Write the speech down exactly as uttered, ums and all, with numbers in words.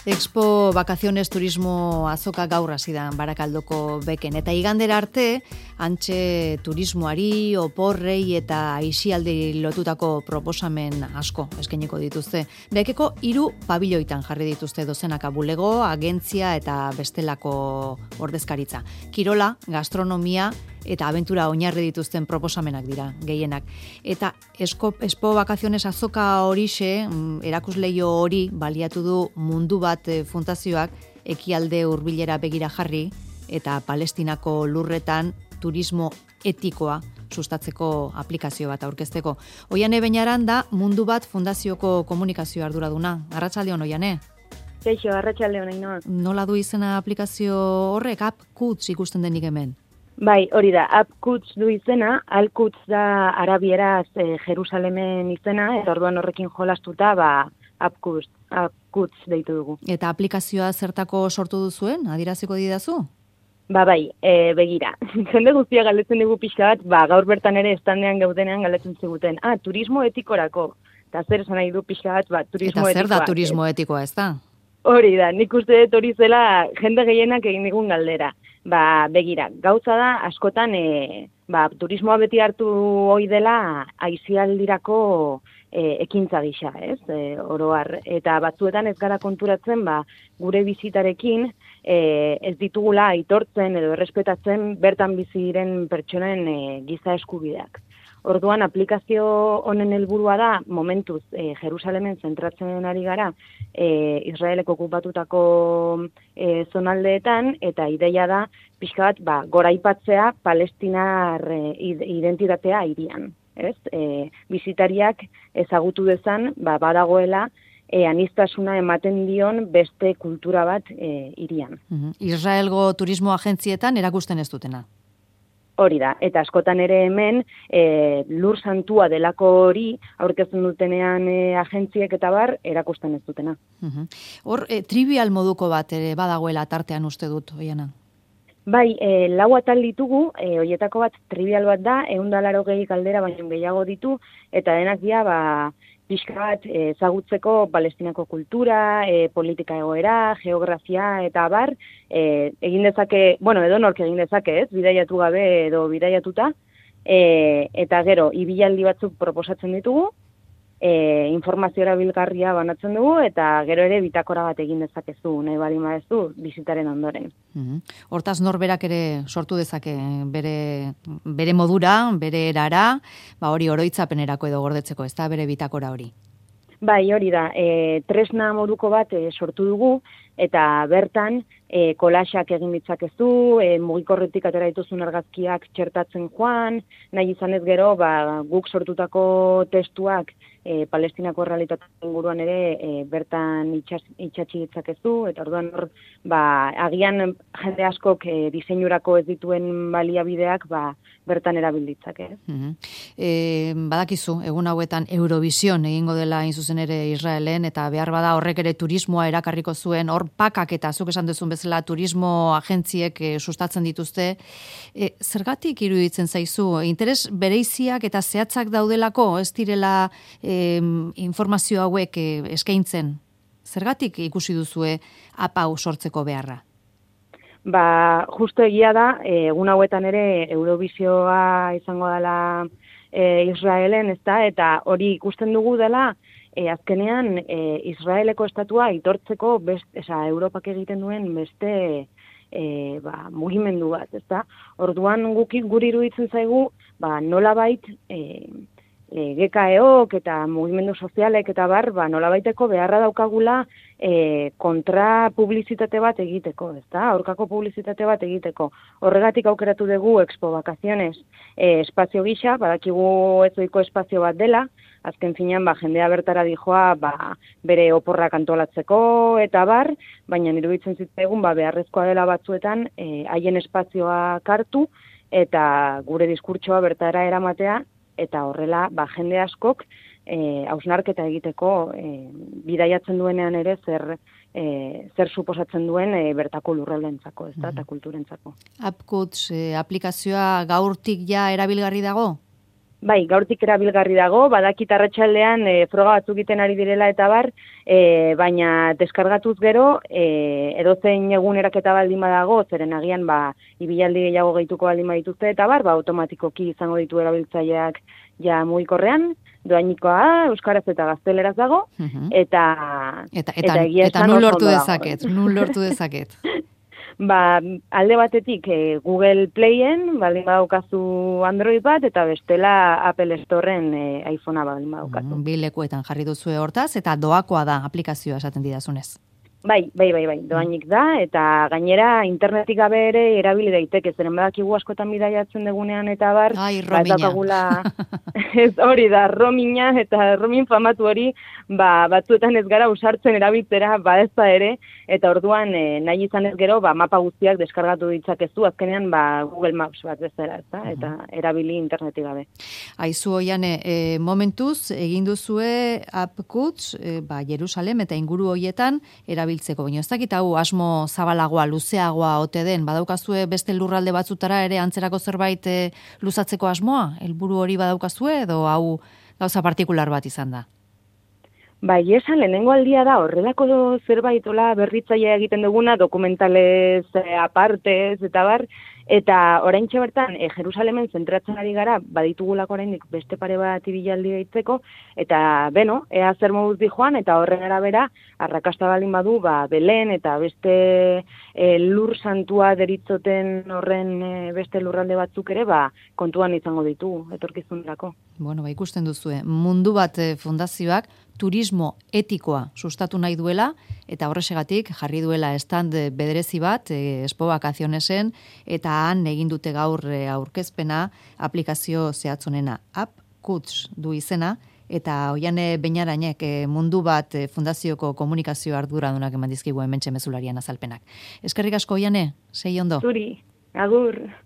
Expo Vacaciones Turismo azoka gaur hasi da Barakaldoko beken eta igandera arte antxe turismoari, oporrei eta aisialdi lotutako proposamen asko eskainiko dituzte. Bekeko hiru pabiloitan jarri dituzte dozenaka bulego, agentzia eta bestelako ordezkaritza. Kirola, gastronomia eta abentura oinarri dituzten proposamenak dira, gehienak. Eta Expo, Expo Vacaciones azoka horixe, erakusleio hori baliatu du Mundu Bat fundazioak ekialde hurbilera begira jarri eta Palestinako lurretan turismo etikoa sustatzeko aplikazio bat aurkezteko. Oiane Beñaran da Mundu Bat fundazioko komunikazio arduraduna. Arratsaldeon, Oiane. Kaixo, arratsaldeon, Ainhoa. Nola du izena aplikazio horrek? AppKuts ikusten denik hemen. Bai, hori da, AppKuts du izena, AllKuts da arabieraz e, Jerusalemen izena, eta orduan horrekin jolastuta, ba, AppKuts, AppKuts deitu dugu. Eta aplikazioa zertako sortu duzuen? Adieraziko didazu? Ba, bai, e, begira. Jende guztia galdetzen dugu pixka bat, ba, gaur bertan ere estandean gaudenean galdetzen ziguten. Ah, turismo etikorako. Eta zer esan nahi du pixka bat, ba, turismo etikoa. Eta zer da turismo etikoa, ez da? Hori da, nik uste dut hori zela jende gehienak egin digun galdera. Ba, begira, gauza da, askotan, e, ba, turismoa beti hartu hoi dela aisialdirako e, ekintza gisa, ez, e, oroar. Eta batzuetan ez gara konturatzen, ba, gure bizitarekin e, ez ditugula aitortzen edo errespetatzen bertan bizi diren pertsonen e, giza eskubideak. Orduan, aplikazio honen helburua da, momentuz, e, Jerusalemen zentratzen ari gara, e, Israelek okupatutako e, zonaldeetan, eta ideia da, pixka bat, ba, goraipatzea palestinar e, identitatea hirian. Ez? E, bizitariak ezagutu dezan, ba, badagoela, e, aniztasuna ematen dion beste kultura bat e, hirian. Uh-huh. Israelgo turismo agentzietan erakusten ez dutena. Hori da, eta askotan ere hemen e, lur santua delako hori aurkezten dutenean e, agentziek eta bar erakusten ez dutena. Uh-huh. Hor, e, trivial moduko bat ere badagoela tartean uste dut, Oiana? Bai, e, lau atal ditugu, e, horietako bat trivial bat da, ehun eta laurogei galdera baino gehiago ditu, eta denak dira, ba, pixka bat ezagutzeko Palestinako kultura, e, politika egoera, geografia eta bar, e, egin dezake, bueno, edo nork egin dezake, ez, bidaiatu gabe edo bidaiatuta, e, eta gero, ibilaldi batzuk proposatzen ditugu, e, informazio erabilgarria banatzen dugu, eta gero ere bitakora bat egin dezakezu, nahi bali maezu, bizitaren ondoren. Mm-hmm. Hortaz norberak ere sortu dezake bere, bere modura, bere erara, ba hori oroitzapenerako edo gordetzeko, ez da bere bitakora hori? Bai, hori da, e, tresna moduko bat e, sortu dugu, eta bertan e, kolaxak egin ditzakezu, e, mugikorretik atera dituzun argazkiak txertatzen joan, nahi izan ez gero, ba, guk sortutako testuak e, Palestinako errealitatea inguruan ere e, bertan itxas, itxatxi ditzakezu, eta orduan hor, ba, agian jende askok e, diseinurako ez dituen baliabideak ba, bertan erabilditzake. Mm-hmm. E, badakizu, egun hauetan Eurovision egingo dela hain zuzen ere Israelen, eta behar bada horrek ere turismoa erakarriko zuen, hor pakak eta zuk esan duzun bezala turismo agentziek e, sustatzen dituzte. E, zergatik iruditzen zaizu? Interes bereiziak eta zehatzak daudelako, ez direla e, informazio hauek e, eskaintzen? Zergatik ikusi duzue apau sortzeko beharra? Ba, justo egia da, egun hauetan ere Eurovisioa izango dela e, Israelen, ezta, eta hori ikusten dugu dela, e, azkenean e, Israeleko estatua aitortzeko best, esa, Europak egiten duen beste e, ba, mugimendu bat, ezta. Orduan guki guri iruditzen zaigu, ba, nolabait e, e, G K E-ok eta mugimendu sozialek eta bar, ba, nolabaiteko beharra daukagula e, kontra publizitate bat egiteko, ezta? Aurkako publizitate bat egiteko. Horregatik aukeratu dugu Expo Vacaciones e, espazio gisa, badakigu ezoiko espazio bat dela, azken finean ba, jendea bertara dijoa ba, bere oporrak antolatzeko eta bar, baina iruditzen zitzaigun ba, beharrezkoa dela batzuetan e, haien espazioa kartu eta gure diskurtsoa bertara eramatea, eta horrela ba, jende askok e, hausnarketa egiteko e, bidaiatzen duenean ere zer, e, zer suposatzen duen e, bertako lurraldentzako, ez da, eta kulturentzako. AppKuts e, aplikazioa gaurtik ja erabilgarri dago? Bai, gaurtik erabilgarri dago, badakit arratsaldean e, froga batzuk egiten ari direla eta bar, e, baina deskargatuz gero, e, edozein eguneraketa baldin badago, zeren agian ba, ibilaldi gehiago gehituko baldin badituzte eta bar, ba, automatikoki izango ditu erabiltzaileak ja mugikorrean, doainikoa, euskaraz eta gazteleraz dago, uh-huh. eta, eta, eta, eta egia eta esan nun oso lortu ondo dago. dezaket, nun lortu dezaket. Ba, alde batetik e, Google Playen, baldin badaukazu Android bat, eta bestela Apple Storeen e, iPhonea baldin badaukazu. Mm, bi lekuetan jarri duzue hortaz, eta doakoa da aplikazioa esaten didazunez. Bai, bai, bai, bai, doainik da, eta gainera internetik gabe ere erabili daiteke, zeren badakigu askotan bidaiatzen degunean eta bar, Ai, ba, ez dakagula, ez hori da, romina eta romin famatu hori, ba, batzuetan ez gara usartzen erabiltzera, ba ez da ere, eta orduan e, nahi izan ez gero, ba, mapa guztiak deskargatu ditzakezu, azkenean ba, Google Maps bat bezala, ez da, eta erabili internetik gabe. Aizu Oiane, e, momentuz, egin duzue AppKuts, e, ba, Jerusalem eta inguru hoietan erabiltzeko, baina ez dakit hau asmo zabalagoa, luzeagoa ote den, badaukazue beste lurralde batzutara ere antzerako zerbait e, luzatzeko asmoa, helburu hori badaukazue edo hau gauza partikular bat izan da? Bai, esan lehenengo aldia da, horrelako zerbait ola berritzailea egiten duguna, dokumentalez, apartez, eta bar, eta oraintxe bertan, e, Jerusalemen zentratzen ari gara, baditugulako oraindik beste pare bat ibilaldi gaitzeko, eta beno, ea zer moduz di joan, eta horren arabera, arrakasta baldin badu, ba, Belen, eta beste e, lur santua deritzoten horren e, beste lurralde batzuk ere, ba, kontuan izango ditugu, etorkizunerako. Bueno, ba, ikusten duzue, mundu bat e, fundazioak, turismo etikoa sustatu nahi duela, eta horrexegatik jarri duela stand bederezi bat, e, Expo Vakazionesen, eta han egin dute gaur e, aurkezpena aplikazio zehatzonena. AppKuts du izena, eta Oiane Beñarainek e, mundu bat e, fundazioko komunikazio arduradunak eman dizkigu hementxe mezularian azalpenak. Eskerrik asko Oiane, sei ondo. Zuri, agur.